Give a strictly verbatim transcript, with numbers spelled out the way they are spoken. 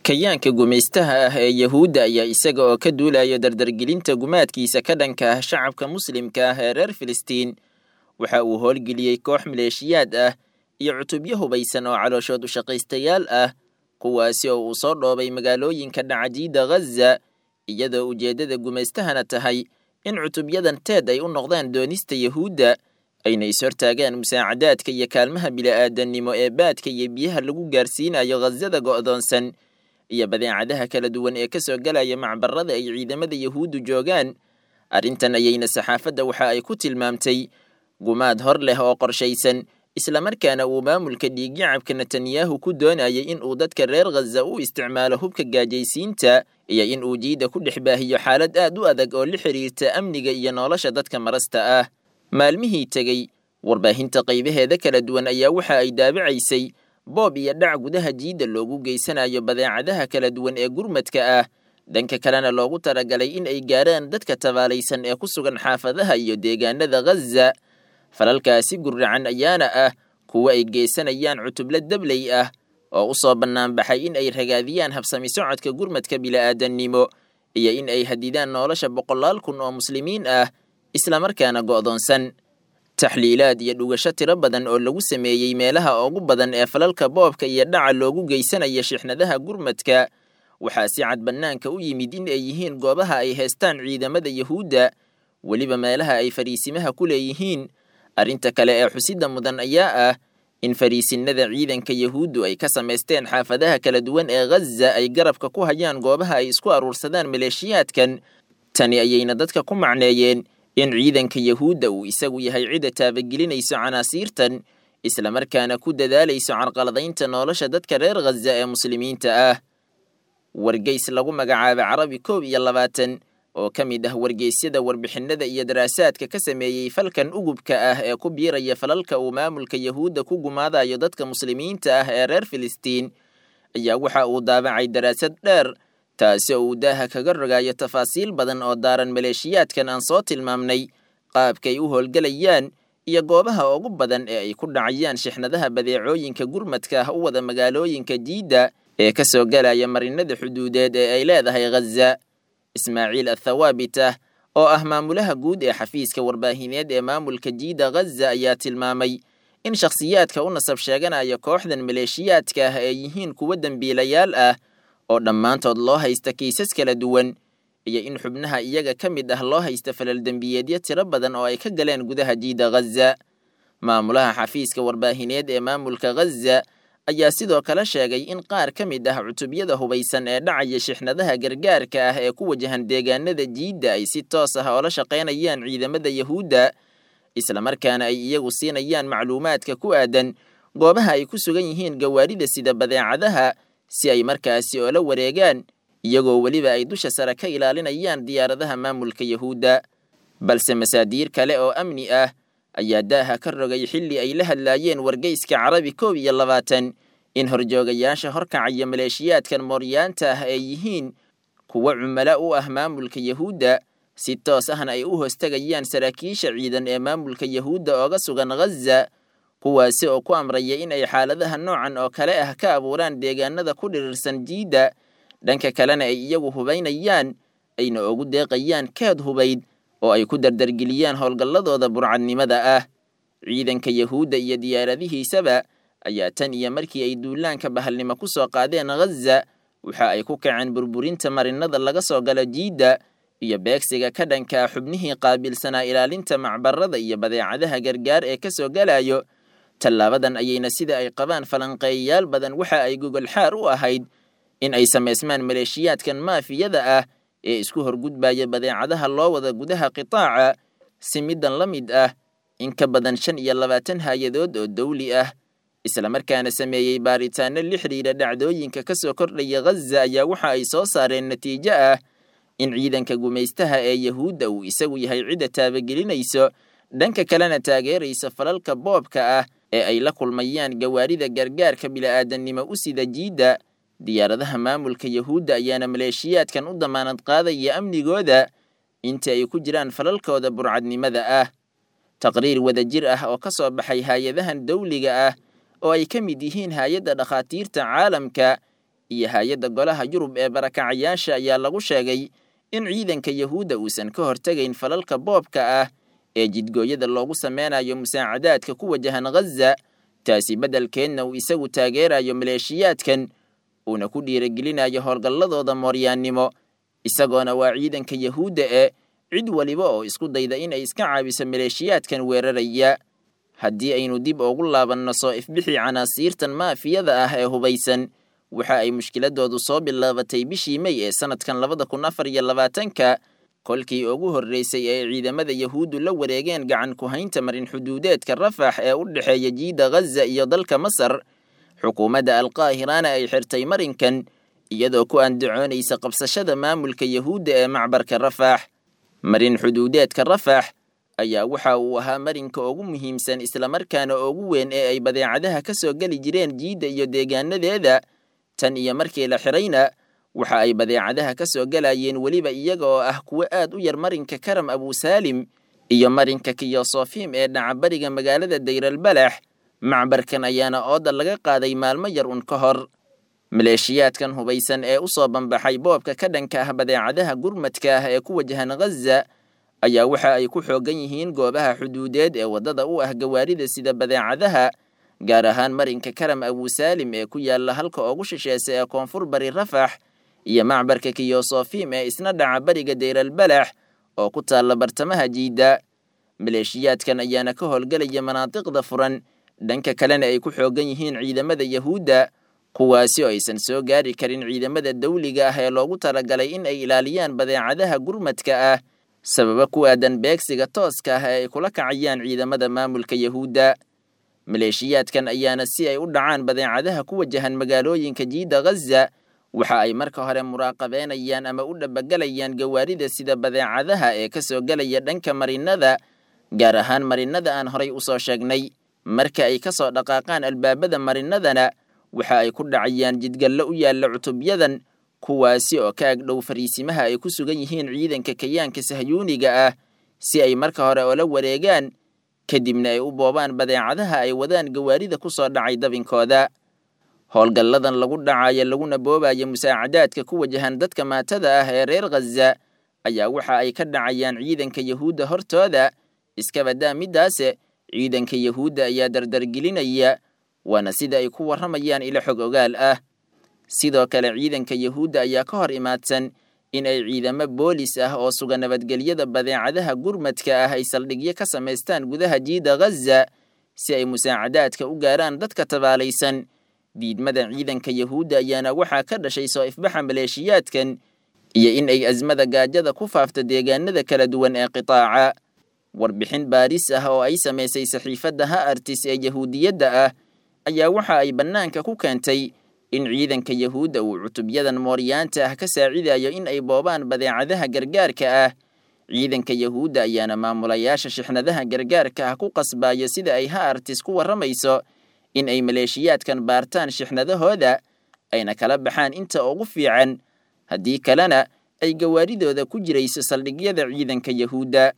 Kayaanka gumaystaha ah ee Yahuudda ayaa isaga oo ka duulaya dardargelinta gumaadkiisa ka dhanka ah shacabka muslimka ah ee reer Filistiin, waxa uu howlgeliyey koox maleeshiyaad ah iyo cutubyo hubaysan oo calooshood u shaqaystayaal ah, kuwaasi oo uu soo dhoobay magaalooyinka dhacajiida Ghaza, iyadoo ujeeddada gumaystahana tahay in cutubyadan teed ay u noqdaan doonista Yahuudda, ayna is-hortaagaan musaacadaadka iyo kaalmaha bila'aadannimo ee baadka iyo biyaha lagu gaarsiinayo Ghazada go'doonsan iyo badeecadaha kala duwan ee ka soo galaya macbarada ay ciidamada Yahuuddu joogaan. Arrintan ayayna saxaafadda waxa ay ku tilmaamtay gumaad hor leh oo qorshaysan, islamarkaana uu maamulka dhiigyacabka Netanyahu ku doonayay in uu dadka reer Ghaza u isticmaalo hubka gaajaysiinta iyo in uu jiida ku dhex baahiyo xaalad aad u adag oo la xiriirta amniga iyo nolosha dadka marasta ah. Maalmihii tegey, warbaahinta qaybaheeda kala duwan ayaa waxa ay daabacaysay boob iyo dhac gudaha jiidda loogu geysanayo badeecadaha kala duwan ee gurmadka ah, dhanka kalena loogu talagalay in ay gaaraan dadka tabaalaysan ee ku sugan xaafadaha iyo deegaanada Ghaza. Falalkaasi gurracan ayaana ah kuwa ay geysanayaan cutubla dabley ah oo u soo bannaanbaxay in ay ragaadiyaan habsami socodka gurmadka bila'aadannimo iyo in ay hadidaan nolosha boqolaal kun oo muslimiin ah islamarkaana go'doonsan. Taxliilaad iyo dhugasho tiro badan oo lagu sameeyey meelaha ugu badan ee falalka boobka iyo dhaca loogu geysanaya shixnadaha gurmadka waxaa si cad bannaanka u yimid in ay yihiin goobaha ay haystaan ciidamada Yahuudda, weliba meelaha ay fariisimaha ku leeyihiin. Arrinta kale ee xusidda mudan ayaa ah in fariisinnada ciidanka Yahuuddu ay ka samaysteen xaafadaha kala duwan ee Ghaza ay garabka ku hayaan goobaha ay isku aruursadaan maleeshiyaadkan. Tani ayayna dadka ku macneeyeen in ciidanka Yahuudda uu isagu yahay cidda taabagelinayso canaasiirtan, islamarkaana ku dadaalayso carqaladaynta nolosha dadka reer Ghaza ee muslimiinta ah. Wargeys lagu magacaabo Carabi koob iyo labaatan oo ka mid ah wargeysyada warbixinada iyo daraasaadka ka sameeyey falkan ugubka ah ee ku biiraya falalka uu maamulka Yahuudda ku gumaadayo dadka muslimiinta ah ee reer Filistiin, ayaa waxa uu daabacay daraasad dheer, taasi oo uu daaha kaga rogayo tafaasiil badan oo daaran maleeshiyaadkan aan soo tilmaamnay, qaabkay u howlgelayaan iyo goobaha ugu badan ee ay ku dhacayaan shixnadaha badeecooyinka gurmadka ah u wada magaalooyinka jiidda ee ka soo galaya marinada xuduudeed ee ay leedahay Ghaza. Ismaaciil Athawaabitah oo ah maamulaha guud ee xafiiska warbaahineed ee maamulka jiidda Ghaza ayaa tilmaamay in shakhsiyaadka u nasab sheeganaya kooxdan maleeshiyaadka ah ay yihiin kuwo dembiilayaal ah oo dhammaantood loo haysta kiisas kala duwan, iyo in xubnaha iyaga ka mid ah loo haysta falal dembiyeedyo tiro badan oo ay ka galeen gudaha jiidda Ghaza. Maamulaha xafiiska warbaahineed ee maamulka Ghaza ayaa sidoo kale sheegay in qaar ka mid ah cutubyada hubaysan ee dhacaya shixnadaha gargaarka ah ee ku wajahan deegaanada jiidda ay si toos ah oola shaqaynayaan ciidamada Yahuudda, islamarkaana ay iyagu siinayaan macluumaadka ku aadan goobaha ay ku sugan yihiin gawaarida sida badeecadaha si ay markaasi oola wareegaan, iyagoo weliba ay dusha sare ka ilaalinayaan diyaaradaha maamulka Yahuudda. Balse masaadiir kale oo amni ah ayaa daaha ka rogay xilli ay la hadlaayeen wargeyska Carabi koob iyo labaatan in horjoogayaasha horkacaya maleeshiyaadkan mooryaanta ah ay yihiin kuwo cumalo u ah maamulka Yahuudda, si toos ahna ay u hoostagayaan saraakiisha ciidan ee maamulka Yahuudda ooga sugan Ghaza, kuwaasi oo ku amraya in ay xaaladaha noocan oo kale ah ka abuuraan deegaanada ku dhirirsan jiidda, dhanka kalena ay iyagu hubaynayaan ayna ugu deeqayaan keed hubayd oo ay ku dardargeliyaan howlgalladooda burcadnimada ah. Ciidanka Yahuudda iyo diyaaradihiisaba ayaa tan iyo markii ay duulaanka bahalnimo ku soo qaadeen Ghaza waxa ay ku kaceen burburinta marinada laga soo galo jiidda iyo beegsiga ka dhanka xubnihii qaabilsanaa ilaalinta macbarada iyo badeecadaha gargaar ee ka soo galayo. Tallaabadan ayayna sida ay qabaan falanqeeyayaal badan waxa ay gogol xaar u ahayd in ay samaysmaan maleeshiyaadkan maafiyada ah ee isku horgudbaya badeecadaha loo wada gudaha qitaaca, si middan la mid ah in ka badan shan iyo labaatan hay-adood oo dawli ah islamarkaana sameeyey baaritaano la xiriira dhacdooyinka ka soo kordhaya Ghaza ayaa waxa ay soo saareen natiijo ah in ciidanka gumaystaha ee Yahuudda uu isagu yahay cidda taabagelinayso, dhanka kalena taageeraysa falalka boobka ah ee ay la kulmayaan gawaarida gargaarka bila'aadannimo u sida jiidda. Diyaaradaha maamulka Yahuudda ayaana maleeshiyaadkan u damaanad qaadaya amnigooda inta ay ku jiraan falalkooda burcadnimada ah. Taqriir wadajir ah oo ka soo baxay hay-adahan dawliga ah oo ay ka mid yihiin hay-adda dhakhaatiirta caalamka iyo hay-adda golaha Yurub ee barakacayaasha ayaa lagu sheegay in ciidanka Yahuudda uusan ka hortegayn falalka boobka ah ee jidgooyada loogu sameynayo musaacadaadka ku wajahan Ghaza, taasi beddelkeedna uu isagu taageerayo maleeshiyaadkan uuna ku dhiirigelinayo howlgalladooda mooryaannimo, isagoona waa ciidanka Yahuudda ee cid waliba oo isku dayda in ay iska caabiso maleeshiyaadkan weeraraya. Haddii aynu dib ugu laabanno soo ifbixii canaasiirtan maafiyada ah ee hubaysan, waxa ay mushkiladoodu soo bilaabatay bishii May ee sanadkan labada kun afar iyo labaatanka, kolkii ugu horreysay ee ciidamada Yahuuddu la wareegeen gacan ku haynta marin xuduudeedka Rafax ee u dhexeeya jiida Ghaza iyo dalka Masar. Xukuumadda Alqaahirana ay xirtay marinkan iyadoo ku andacoonaysa qabsashada maamulka Yahuudda ee macbarka Rafax. Marin xuduudeedka Rafax ayaa waxa uu ahaa marinka ugu muhiimsan islamarkaana ugu weyn ee ay badeecadaha ka soo geli jireen jiidda iyo deegaanadeeda. Tan iyo markii la xirayna waxa ay badeecadaha ka soo galayeen weliba iyaga oo ah kuwo aad u yar marinka Karam Abusaalim iyo marinka Kiyosofim ee dhaca bariga magaalada Dayralbalax. Macbarkan ayaana ooda laga qaaday maalmo yar un ka hor. Maleeshiyaadkan hubaysan ee u soo banbaxay boobka ka dhanka ah badeecadaha gurmadka ah ee ku wajahan Ghaza ayaa waxa ay ku xoogan yihiin goobaha xuduudeed ee waddada u ah gawaarida sida badeecadaha, gaar ahaan marinka Karam Abusaalim ee ku yaala halka ugu shisheesa ee koonfur bari Rafax iyo macbarka Kiyosofim ee isna dhaca bariga Dayralbalax oo ku taalla bartamaha jiidda. Maleeshiyaadkan ayaana ka howlgelaya manaatiqda furan, dhanka kalena ay ku xoogan yihiin ciidamada Yahuudda, kuwaasi oo aysan soo gaari karin ciidamada dawliga ah ee loogu talagalay in ay ilaaliyaan badeecadaha gurmadka ah, sababa ku aadan beegsiga tooska ah ee ay kula kacayaan ciidamada maamulka Yahuudda. Maleeshiyaadkan ayaana si ay u dhacaan badeecadaha ku wajahan magaalooyinka jiidda Ghaza, waxa ay marka hore muraaqabeynayaan ama u dhabagelayaan gawaarida sida badeecadaha ee ka soo gelaya dhanka marinada, gaar ahaan marinada aan horay u soo sheegnay. Marka ay ka soo dhaqaaqaan albaabada marinadana, waxa ay ku dhacayaan jidgallo u yaalla cutubyadan, kuwaasi oo ka agdhow fariisimaha ay ku sugan yihiin ciidanka kayaanka sahyuuniga ah, si ay marka hore ula wareegaan, kadibna ay u boobaan badeecadaha ay wadaan gawaarida ku soo dhacay dabinkooda. Howlgalladan lagu dhacayo laguna boobayo musaacadaadka ku wajahan dadka maatada ah ee reer Ghaza ayaa waxa ay ka dhacayaan ciidanka Yahuudda hortooda. Iska badaa middaase, ciidanka Yahuudda ayaa dardargelinaya, waana sida ay ku warramayaan ilo xog ogaal ah. Sidoo kale ciidanka Yahuudda ayaa ka hor imaadsan in ay ciidamo boolis ah oo suga nabadgelyada badeecadaha gurmadka ah ay saldhigyo ka samaystaan gudaha jiidda Ghaza si ay musaacadaadka u gaaraan dadka tabaalaysan. Diidmada ciidanka Yahuudda ayaana waxaa ka dhashay soo ifbaxa maleeshiyaadkan iyo in ay azmada gaajada ku faafto deegaanada kala duwan ee qitaaca. Warbixin baaris ah oo ay samaysay saxiifadda Haaretz ee Yahuudiyadda ah ayaa waxa ay bannaanka ku keentay in ciidanka Yahuudda uu cutubyadan mooryaanta ah ka saacidayo in ay boobaan badeecadaha gargaarka ah. Ciidanka Yahuudda ayaana maamulayaasha shixnadaha gargaarka ah ku qasbayo, sida ay Haaretz ku warramayso, in ay maleeshiyaadkan baartaan shixnadahooda ayna kala baxaan inta ugu fiican, haddii kalena ay gawaaridooda ku jirayso saldhigyada ciidanka Yahuudda.